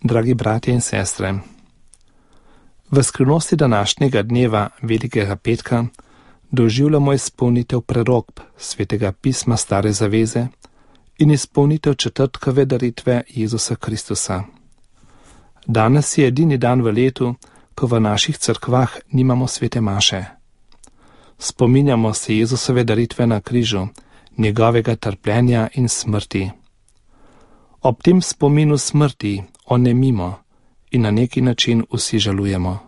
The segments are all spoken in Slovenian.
Dragi bratje in sestre, v skrivnosti današnjega dneva Velikega petka doživljamo izpolnitev prerokb Svetega pisma Stare zaveze in izpolnitev četrtkove daritve Jezusa Kristusa. Danes je edini dan v letu, ko v naših cerkvah nimamo svete maše. Spominjamo se Jezusove daritve na križu, njegovega trpljenja in smrti. Ob tem spominu smrti onemimo in na neki način vsi žalujemo.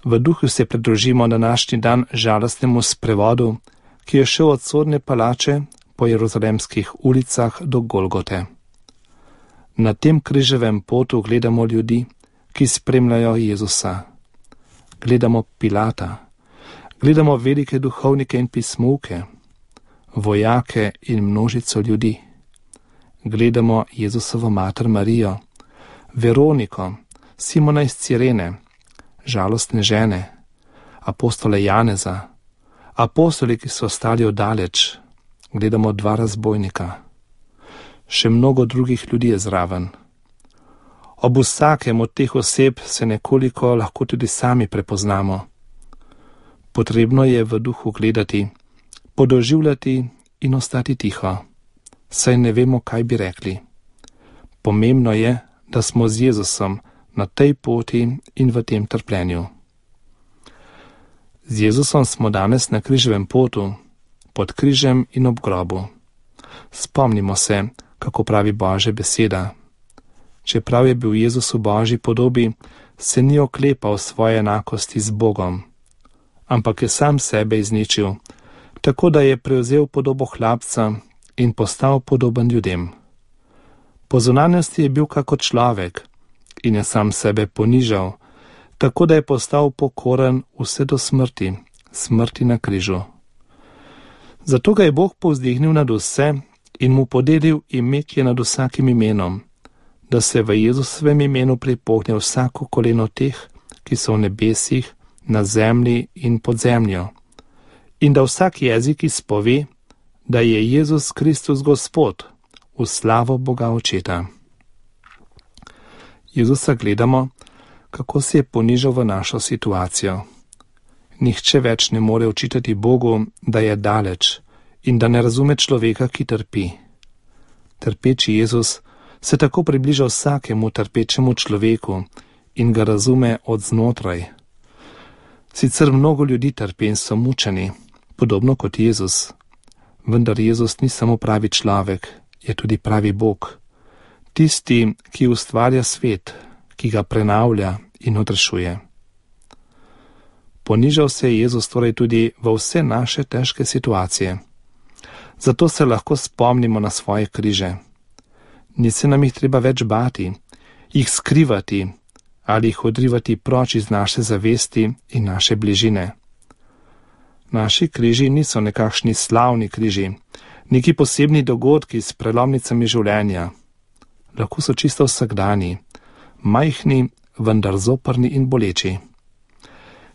V duhu se pridružimo današnji dan žalostnemu sprevodu, ki je šel od sodne palače po jeruzalemskih ulicah do Golgote. Na tem križevem potu gledamo ljudi, ki spremljajo Jezusa. Gledamo Pilata, gledamo velike duhovnike in pismovke, vojake in množico ljudi. Gledamo Jezusovo mater Marijo, Veroniko, Simona iz Cirene, žalostne žene, apostole Janeza, apostoli, ki so ostali oddaleč. Gledamo dva razbojnika. Še mnogo drugih ljudi je zraven. Ob vsakem od teh oseb se nekoliko lahko tudi sami prepoznamo. Potrebno je v duhu gledati, podoživljati in ostati tiho, saj ne vemo, kaj bi rekli. Pomembno je, da smo z Jezusom na tej poti in v tem trpljenju. Z Jezusom smo danes na križevem potu, pod križem in ob grobu. Spomnimo se, kako pravi Božja beseda. Čeprav je bil Jezus v Božji podobi, se ni oklepal svoje enakosti z Bogom, ampak je sam sebe izničil, tako da je prevzel podobo hlapca in postal podoben ljudem. Po zunanjosti je bil kakor človek in je sam sebe ponižal, tako da je postal pokoren vse do smrti, smrti na križu. Zato ga je Bog povzdignil nad vse in mu podelil ime, ki je nad vsakim imenom, da se v Jezusovem imenu pripogne vsako koleno teh, ki so v nebesih, na zemlji in pod zemljo, in da vsak jezik izpove, da je Jezus Kristus Gospod, v slavo Boga Očeta. Jezusa gledamo, kako se je ponižal v našo situacijo. Nihče več ne more očitati Bogu, da je daleč in da ne razume človeka, ki trpi. Trpeči Jezus se tako približa vsakemu trpečemu človeku in ga razume od znotraj. Sicer mnogo ljudi trpi in so mučeni, podobno kot Jezus, vendar Jezus ni samo pravi človek, je tudi pravi Bog, tisti, ki ustvarja svet, ki ga prenavlja in odrešuje. Ponižal se je Jezus torej tudi v vse naše težke situacije. Zato se lahko spomnimo na svoje križe. Ni se nam jih treba več bati, jih skrivati ali jih odrivati proč iz naše zavesti in naše bližine. Naši križi niso nekakšni slavni križi, neki posebni dogodki s prelomnicami življenja. Lahko so čisto vsakdani, majhni, vendar zoprni in boleči.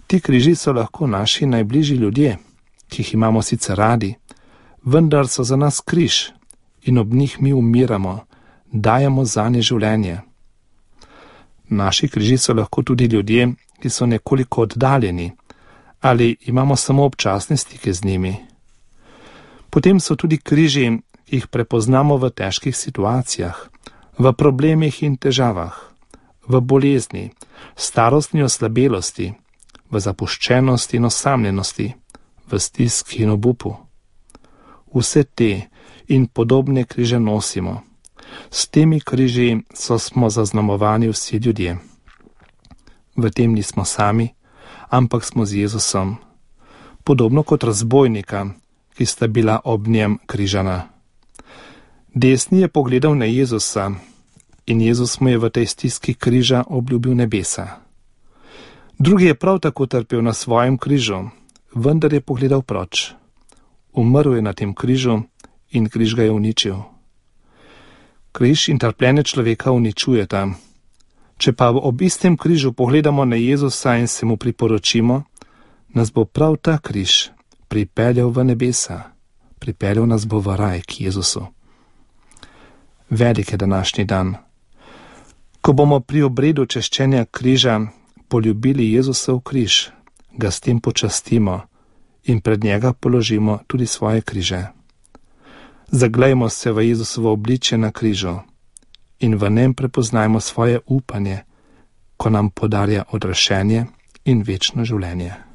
Ti križi so lahko naši najbližji ljudje, ki jih imamo sicer radi, vendar so za nas križ in ob njih mi umiramo, dajemo zanje življenje. Naši križi so lahko tudi ljudje, ki so nekoliko oddaljeni ali imamo samo občasne stike z njimi. Potem so tudi križi, ki jih prepoznamo v težkih situacijah, v problemih in težavah, v bolezni, starostni oslabelosti, v zapuščenosti in osamljenosti, v stiski in obupu. Vse te in podobne križe nosimo. S temi križi smo zaznamovani vsi ljudje. V tem nismo sami, ampak smo z Jezusom, podobno kot razbojnika, ki sta bila ob njem križana. Desni je pogledal na Jezusa in Jezus mu je v tej stiski križa obljubil nebesa. Drugi je prav tako trpel na svojem križu, vendar je pogledal proč. Umrl je na tem križu in križ ga je uničil. Križ in trpljenje človeka uničujeta. Če pa ob istem križu pogledamo na Jezusa in se mu priporočimo, nas bo prav ta križ pripeljal v nebesa, pripeljal nas bo v raj k Jezusu. Velik je današnji dan. Ko bomo pri obredu češčenja križa poljubili Jezusov križ, ga s tem počastimo in pred njega položimo tudi svoje križe. Zaglejmo se v Jezusovo obličje na križu in v njem prepoznajmo svoje upanje, ko nam podarja odrešenje in večno življenje.